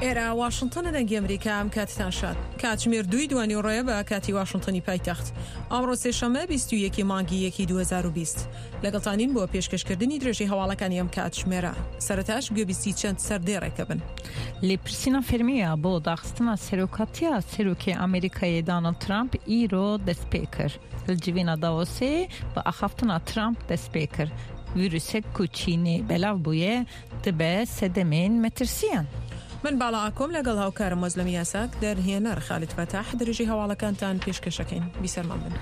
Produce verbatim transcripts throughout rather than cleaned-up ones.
ئێرە واشنتۆنە، دەنگی ئەمریکا. ئەم کاتتان شاد. کاتژمێر دووی دوانیوەڕۆیە بە کاتی واشنتۆنی پایتەخت. ئەمڕۆ سێشەممە بیست و یەکی مانگی یەکی دوو هەزار و بیست. لەگەڵتانین بۆ پێشکەشکردنی درێژەی هەواڵەکانی ئەم کاتژمێرە. سەرەتاش گوێبیستی چەند سەردێڕێکە بن. لێپرسینا فەرمیە بۆ داخستنا سەرۆکاتیا سەرۆکی ئەمریکایێ داناڵد ترامپ ئیرۆ دەست پێ کرد. هەلجڤینا داوۆسێ بە ئاخافتنا ترامپ دەست پێ کرد. ڤیروسێک کو چینێ بەلاڤ بوویە دبە سەدەمێن مەترسیان. من باڵا ئاکۆم لەگەڵ هاوکارم مەزلەم یاساک، دەرهێنەر خالد فەتاح، درێژەی هەواڵەکانتان پێشکەشەکەین. بیسەرمان بن.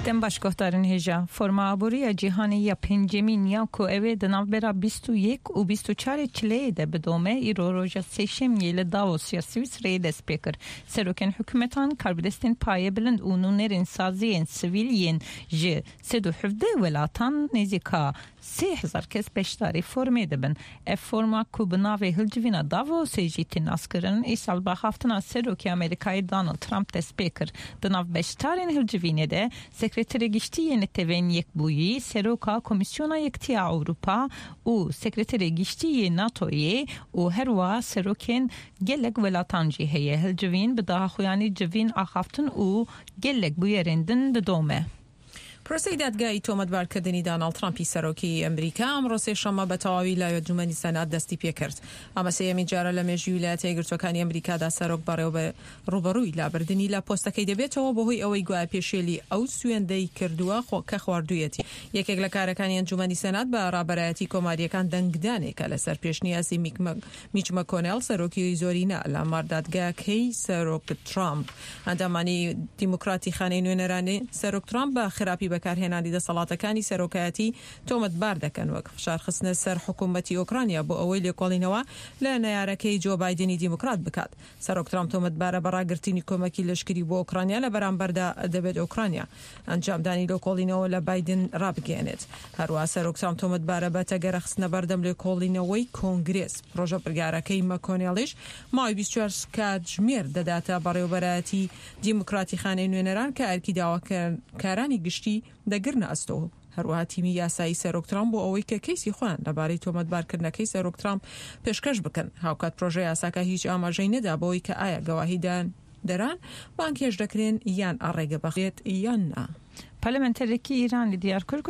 دەم باش گۆهدارن هێژا. فۆرما ئابووریە جیهانی یا پێنجەمین یا کو ئەوێ دە ناوبەرا بیست و یەک و بیست و چوار چلەیێ دە بدۆمە ئیرۆ ڕۆژە سێشەمیێ لە داڤۆس یا سویسرەیێ دەست پێ کرد. سەرۆکên حکومەتان، کاربەدەستên پایە بلند و نوێنەرên سازiyên سivîl yên ji sed û hevdeh welatan nêzîka sê hezar kes beşdarî formê dibin. Ev forma ku bi navê Hilcivîna Davosê jî tê naskirin, îsal bi axaftina Serokê Amerîkayê Donald Trump dest pê kir. Di nav beşdarên Hilcivînê de Sekreterê Giştî yê Neteweyên Yekbûyî, Seroka Komîsyona Yekitiya Ewropa û Sekreterê Giştî yê NATOyê û her wiha serokên gelek welatan jî heye. Hilcivîn bi daxuyanî civîn axaftin û gelek bûyerên din didome. پرۆسەی دادگایی تۆمەتبارکردنی داناڵد ترامپی سەرۆکی ئەمریکا ئەمڕۆ سێشەممە بە تەواوی لە ئەنجومەنی سەنات دەستی پێکرد. ئەمە سێیەمین جارە لە مێژووی ویلایەتە یەکگرتووەکانی ئەمریکادا سەرۆک بەڕێوە ڕووبەڕووی لابردنی لە پۆستەکەی دەبێتەوە بەهۆی ئەوەی گوایە پێشێلی ئەو سوێندەی کردووە کە خواردوویەتی. یەکێک لە کارەکانی ئەنجومەنی سەنات بە ڕابەرایەتی کۆماریەکان دەنگدانێکە لەسەر پێشنیازی میچ مەکۆنێڵ سەرۆکی زۆرینە لە ماردادگاکەی سەرۆک ترامپ. ئەندامانی دیموکراتی خانەی نوێنەرانی سەرۆک ترامپ بە خراپی بەکارهێنانی دەسەڵاتەکانی سەرۆکایەتی تۆمەتبار دەکەن، وەک فشارخستنە سەر حکوومەتی ئۆکرانیا بۆ ئەوەی لێکۆڵینەوە لە نەیارەکەی جۆ بایدنی دیموکرات بکات. سەرۆک ترامپ تۆمەتبارە بە ڕاگرتنی کۆمەکی لەشکری بۆ ئۆکرانیا، لە بەرامبەردا دەبێت ئۆکرانیا ئەنجامدانی لێکۆڵینەوە لە بایدن ڕابگەیەنێت. هەروەها سەرۆک ترامپ تۆمەتبارە بە تەگەرەخستنە بەردەم لێکۆڵینەوەی کۆنگرێس. پرۆژە بڕیارەکەی مەکۆنێڵیش ماوەی بیست و چوار کاتژمێر دەداتە بەڕێوەبەرایەتی دیموکراتی خانەی نوێنەران کە ئەرکی داواکارانی گشتی دەگرنە ئەستۆ. هەروەها تیمی یاسایی سەرۆک ترامپ بۆ ئەوەی کە کەیسی خۆیان لەبارەی تۆمەتبارکردنەکەی سەرۆک ترامپ پێشکەش بکەن. هاوکات پرۆژە یاساکە هیچ ئاماژەی نەدا بەوەی کە ئایا گەواهیدان دەران بانکێش دەکرێن یان ئاڕێگە بەخرێت یان نا. پەرلەمانتەرێکی ئێرانی دیار کرد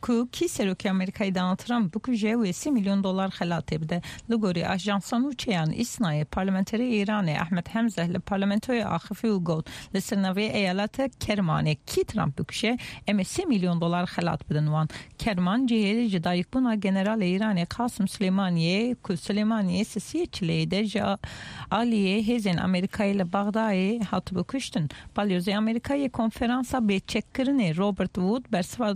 کو کی سەرۆکی ئەمریکای داناڵد ترامپ بکوژێ وێ سێ میلیۆن دۆلار خەلاتێ بدە. لە گۆری ئاژانسا نووچەیان ئیسنایێ پەرلەمانتەری ئێرانێ ئەحمەد هەمزە لە پەرلەمانتۆی ئاخفی و گوت لە سەر ناوێ ئەیالەتە کەرمانێ کی ترامپ بکوژێ ئەمێ سێ میلیۆن دۆلار خەلات بدن وان. کەرمان جێ ji dayikbûna generalê Îranê Qasim Silêmaniyê ku Silêmaniyê sisiyê çileyê de ji aliyê hêzên Amerîkayê li Bexdayê hatibû kuştin. Balyozê Amerîkayê konferansa bêçekkirinê Robert Wood bersiva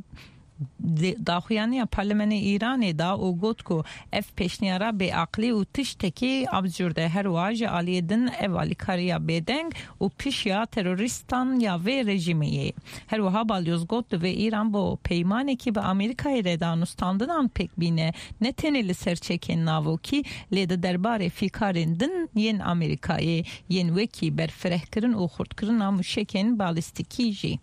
daxuyaniya Parlamenê Îranê da û got ku ev pêşniyara bêaqlî û tiştekî absûrd e. Her wiha ji aliyê din ev alîkariya bêdeng û pişya terorîstan ya vê rejîmê ye. Her wiha balyoz got divê Îran bo peymanekî bi Amerîkayê re danûstandinan pêk bîne, ne tenê li ser çekên navokî lê di derbarê fîkarên din yên Amerîkayê yên wekî berfirehkirin û xurtkirina mûşekên balîstîkî jî.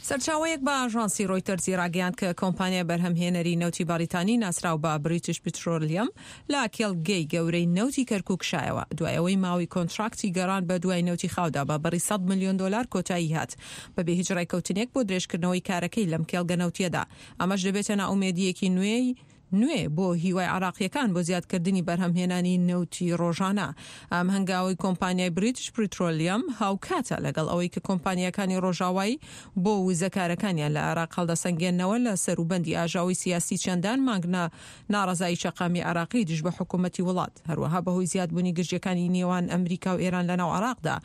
سەرچاوەیەک بە ئاژانسی ڕۆیتەرزی ڕاگەیاند کە کۆمپانیای بەرهەمهێنەری نەوتی بەریتانی ناسراو بە بریتش پترۆلیەم لە کێڵگەی گەورەی نەوتی کەرکوک کشایەوە دوای ئەوەی ماوەی کۆنتراکتی گەڕان بە دوای نەوتی خاودا بە بڕی سەد ملیۆن دۆلار کۆتایی هات بەبێ هیچ ڕێککەوتنێک بۆ درێژکردنەوەی کارەکەی لەم کێڵگە نەوتیەدا. ئەمەش دەبێتە نائومێدییەکی نوێی نوێ بۆ هیوای عراقیەکان بۆ زیادکردنی بەرهەمهێنانی نەوتی ڕۆژانە. ئەم هەنگاوی کۆمپانیای بریتش پترۆلیەم هاوکاتە لەگەڵ ئەوەی کە کۆمپانیاکانی ڕۆژاوایی بۆ وزەکارەکانیان لە عێراق هەڵدەسەنگێنەوە لە سەروبەندی ئاژاوەی سیاسی چەندان مانگ ناڕەزایی شەقامی عراقی دژ بە حکوومەتی وڵات. هەروەها بەهۆی زیادبوونی گرژیەکانی نێوان ئەمریکا و ئێران لەناو عراقدا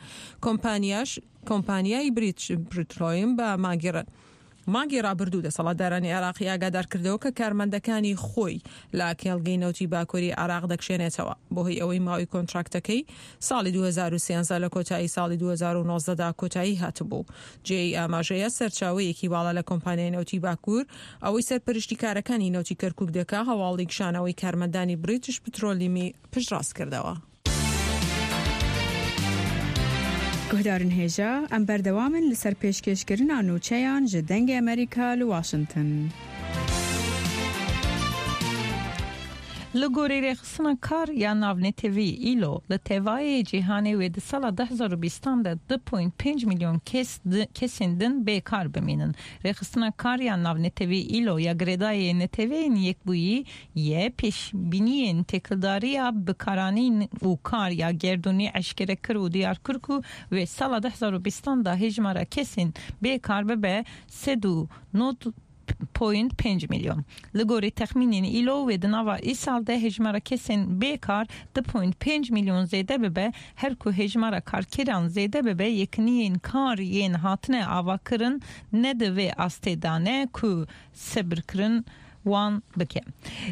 کۆمپانیاش کۆمپانیای بریتش پترۆلیەم بە مانگی مانگی ڕابردوو دەسەڵاتدارانی عێراقی ئاگادار کردەوە کە کارمەندەکانی خۆی لە کێڵگەی نەوتی باکووری عێراق دەکشێنێتەوە بەهۆی ئەوەی ماوەی کۆنتراکتەکەی ساڵی دوو هەزار و سێزدە لە کۆتایی ساڵی دوو هەزار و نۆزدە دا کۆتایی هاتبوو. جێی ئاماژەیە سەرچاوەیەکی باڵا لە کۆمپانیای نەوتی باکوور ئەوەی سەرپەرشتی کارەکانی نەوتی کەرکوک دەکا هەواڵی کشانەوەی کارمەندانی بریتش پترۆلیمی پشتڕاست کردەوە. گوهدارن هێژا ئەم بەردەوامن لەسەر پێشکێشکردنا نوچەیان ji دەنگی ئەمریکا لە واشنگتن. Li gorî rêxistina kar ya navnetewî îlo li tevayê cîhanê wê di sala du hezar û bîstan de du point pênc milyon kes kesên din bêkar bimînin. Rêxistina kar ya navnetewî îlo ya girêdayê neteweyên yekbûyî ye pêşbîniyên têkildariya bikaranîn û kar ya gerdûnî eşkere kir û diyar kir ku wê sala du hezar û bîstan de hejmara kesên bêkar bibe sed û nod point pênc milyon. Li gorî texmînên îlo wê di nava îsal de hejmara kesên bêkar du point pênc milyon zêde bibe, her ku hejmara karkeran zêde bibe yekîniyên kar yên hatine avakirin ne di vê astê de ne ku sebirkirin wan bike.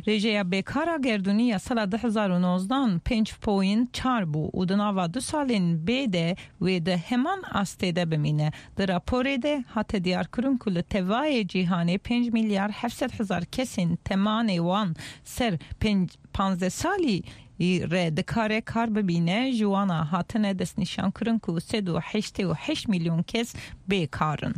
Rêjeya bêkara gerdûnî ya sala du hezar û nozdan pênc point çar bû û di nava du salên bê de wê di heman astê de bimîne. Di raporê de hate diyarkirin ku li tevayê cîhanê pênc milyar heft sed hezar kesên temanê wan ser pênc panzdeh salî re dikare kar bibîne ji wana hatine destnîşankirin ku sed û heştê û heşt milyon kes bêkar in.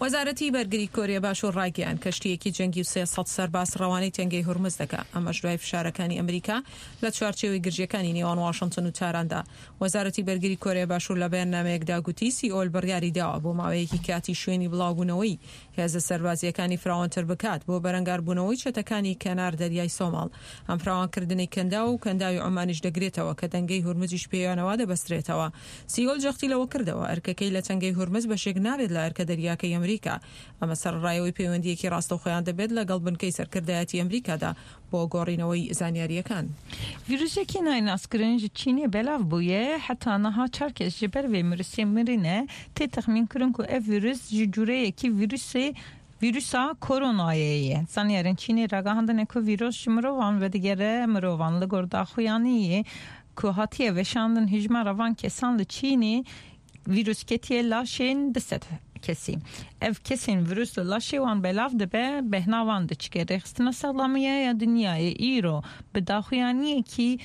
وەزارەتی بەرگری کۆریە باشوور ڕایگەیاند کەشتییەکی جەنگی و سێ سەد سەرباز ڕەوانەی تەنگەی هورمز دەکا، ئەمەش دوای فشارەکانی ئەمریکا لە چوارچێوەی گرژیەکانی نێوان واشنگتن و تاراندا. وەزارەتی بەرگری کۆریە باشوور لە بەیاننامەیەکدا گوتی سیئۆل بڕیاری داوە بۆ ماوەیەکی کاتی شوێنی بڵاوبوونەوەی هێزە سەربازیەکانی فراوانتر بکات بۆ بەرەنگاربوونەوەی چەتەکانی کەنار دەریای سۆماڵ. ئەم فراوانکردنی کەنداو و کەنداوی عومانیش دەگرێتەوە کە تەنگەی هورمزیش پێیانەوە دەبەسترێتەوە. سیئۆل جەختی لەوە کردەوە ئەرکەکەی لە تەنگەی هورمز بەشێک نابێت لە ئەرکە دەریاکەی ئەمریکا. ئەمە سەرڕایەوەی پەیوەندیەکی ڕاستەوخۆیان دەبێت لەگەڵ بنکەی سەرکردایەتی ئەمریکادا بۆ گۆڕینەوەی زانیاریەکان. ویروسێکی نایناسکردن ji Çînê belav bûye heta niha çar kes ji ber vê virusê mirine tê texmînkirin ku ev virus ji cureyekî virusê Vîrusa koronayê ye. Zanyarên Çînê ragihandine ku vîrus ji mirovan vedigere mirovan li gor daxuyaniyê ku hatiye veşandin hejmara van kesan li Çînê vîrus ketiye laşên du sed kesî. Ev kesên virus li laşê wan belav dibe behna wan diçike. Rêxistina Sağlamiyê ya Dinyayê îro bi daxuyaniyekî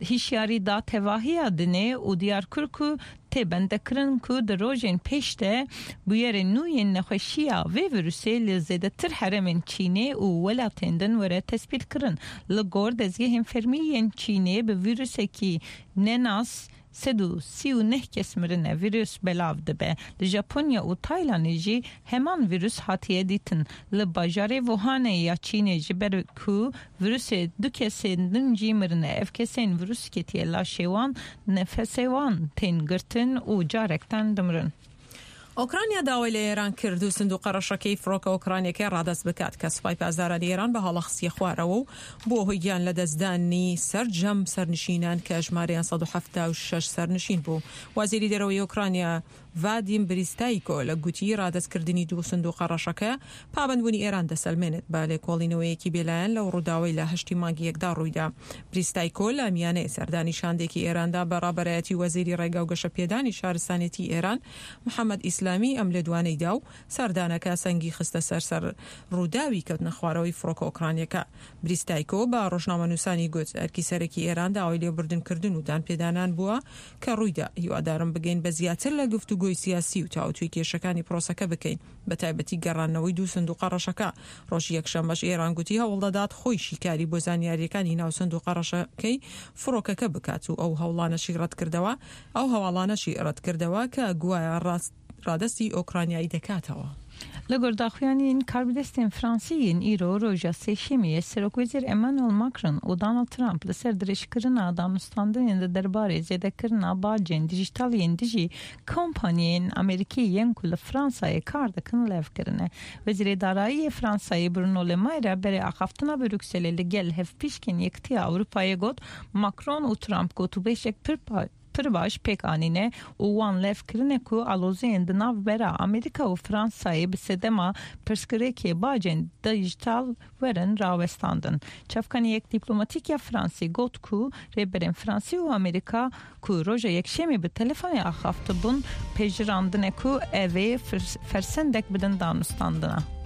hişyarî da tevahiya dinê û diyar kir ku tê bendekirin ku di rojên pêş de bûyerên nû yên nexweşiya vê virusê li zêdetir herêmên Çînê û welatên din were tespîtkirin. Li gor dezgehên fermî yên Çînê bi vîrusekî nenas sed û sî û neh kes mirine virus belav dibe. Li Japonya û Taylandê jî heman virus hatiye dîtin. Li bajarê Wuhanê ya Çînê ji ber ku virusê du kesên din jî mirine. Ev kesên virus ketiye laşê wan nefesê wan tên girtin û carekten dimirin. ئۆکرانیا داوای لە ئێران کرد و سندوقە ڕەشەکەی فڕۆکە ئۆکرانیەکەی ڕادەست بکات کە سوپای پاسدارانی ئێران بە هەڵە خستیە خوارەوە و بۆ هۆی گیان لەدەستدانی سەرجەم سەرنشینان کە ژمارەیان سەد و حەفتا و شەش سەرنشین بوو. وەزیری دەرەوەی ئۆکرانیا ڤادیم بریستایکۆ لە گوتی ڕادەستکردنی دوو سندوقە ڕەشەکە پابەندبوونی ئێران دەسەلمێنێت بە لێکۆڵینەوەیەکی بێلایەن لەو ڕووداوەی لە هەشتی مانگی یەکدا ڕوویدا. بریستایکۆ لە میانەی سەردانی شاندێکی ئێراندا بە ڕابەرایەتی وەزیری ڕێگا و گەشەپێدانی شارستانێتی ئێران محەممەد ئیسلامی ئەم لێدوانەی دا و سەردانەکە سەنگی خستە سەر سەر ڕووداوی کەوتنە خوارەوەی فڕۆکە ئۆکرانیەکە. بریستایکۆ بە ڕۆژنامەنووسانی گوت ئەرکی سەرەکی ئێران داوای لێبوردنکردن و دانپێدانان بووە کە ڕوویدا. هیوادارم بگەین بە زیاتر لە گفتوگۆی سیاسی و تاوتوێی کێشەکانی پرۆسەکە بکەین، بە تایبەتی گەڕانەوەی دوو سندوقە ڕەشەکە. ڕۆژی یەکشەممەش ئێران گوتی هەوڵدەدات خۆی شیکاری بۆ زانیاریەکانی ناو سندوقە ڕەشەکەی فڕۆکەکە بکات و ئەو هەوڵانەشی ڕەتکردەوە ئەو هەواڵانەشی ڕەتکردەوە کە گوایە ڕاست ڕادەستی ئۆکرانیایی دەکاتەوە. Li gor daxuyaniyên karbidestên Fransî yên îro roja sêşemiyê Serokwezîr Emmanuel Macron û Donald Trump li ser dirêjkirina danûstandinên di derbarê zêdekirina bacên dijîtal yên dijî kompaniyên Amerîkî yên ku li Fransayê kar dikin lev kirine. Wezîrê Darayiyê Fransayê Bruno Le Maire berê axaftina Brukselê li gel hevpîşkên Yekîtiya Ewropayê got Macron û Trump gotûbêjek pir pir baş pêk anîne û wan lev kirine ku aloziyên di navbera Amerîka û Fransayê bi sedema pirsgirêkê bacên dijîtal werin rawestandin. Çavkaniyek dîplomatîk ya Fransî got ku rêberên Fransî û Amerîka ku roja yekşemê bi telefonê axaftibûn pejirandine ku ev ê fersendek bidin danûstandina.